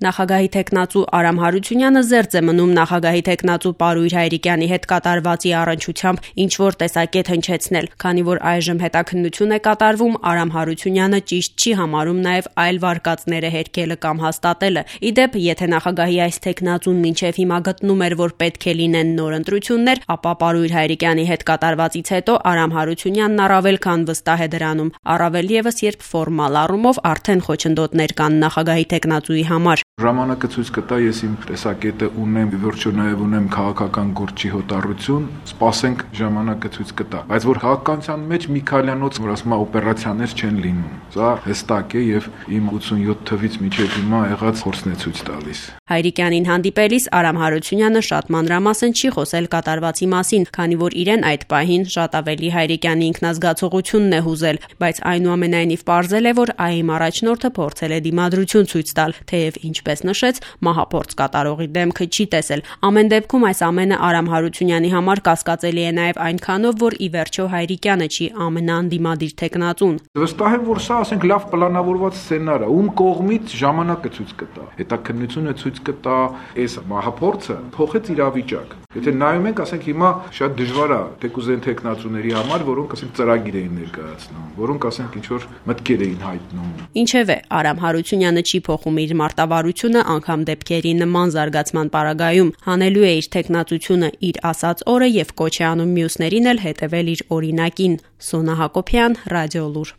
Նախագահի թեկնածու Արամ Հարությունյանը զերծ է մնում նախագահի թեկնածու Պարույր Հայրիկյանի հետ կատարվածի առնչությամբ ինչ-որ տեսակետ հնչեցնել, քանի որ այժմ հետաքննություն է կատարվում, Արամ Հարությունյանը ճիշտ չի համարում նաև այլ վարկածները հերքելը կամ հաստատելը։ Ի դեպ, եթե նախագահի այս թեկնածուն մինչև հիմա գտնում էր, որ պետք է լինեն նոր ընտրություններ, ապա Պարույր Հայրիկյանի հետ կատարվածից հետո Արամ Հարությունյանն առավել քան վստահ է դրանում, առավել ևս երբ ֆորմալ առումով արդեն խոչընդոտներ կան նախագահի թեկնածուի համար։ Ժամանակը ցույց կտա, ես իմ տեսակետը ունեմ, վերջո նաև ունեմ քաղաքական գործի հոտառություն, սպասենք ժամանակը ցույց կտա։ Բայց որ քաղաքականության մեջ Միքայելյանոց, որ ասում է օպերացիաներ չեն լինում, սա հստակ է եւ իմ 87 թվից մինչեւ հիմա եղած փորձն է ցույց տալիս։ Հայրիկյանին հանդիպելիս Արամ Հարությունյանը շատ մանրամասն չի խոսել կատարվածի մասին, քանի որ իրեն այդ պահին շատ ավելի Հայրիկյանի ինքնազգացողությունն է հուզել, բայց այնուամենայնիվ պարզել է, որ ԱԻ-մ առաջնորդը փորձել է դիմադրություն ցույց տալ, թեև ինչպես նշեց, մահափորձ կատարողի դեմքը չի տեսել։ Ամեն դեպքում այս ամենը Արամ Հարությունյանի համար կասկածելի է նաև այնքանով, որ ի վերջո Հայրիկյանը չի ամենաանդիմադիր թեկնածուն։ Վստահ եմ, որ սա ասենք լավ պլանավորված սցենար է, ում կողմից ժամանակը ցույց կտա։ Հետաքննությունը ցույց կտա, այս մահափորձը փոխեց իրավիճակ։ Եթե նայում ենք, ասենք հիմա շատ դժվար է թեկուզեն թեկնածուների համար, որոնք ասենք ծրագիր էին ներկայացնում, որոնք ասենք ինչ որ մտքեր էին հայտնում։ Ինչևէ, Արամ Հարությունյանը չի փոխում իր մարտավարությունը անգամ դեպքերի նման զարգացման պարագայում, հանելու է իր թեկնածությունը իր ասած օրը եւ կոչ է անում մյուսներին էլ հետևել իր օրինակին։ Սոնա Հակոբյան, Ռադիոլուր։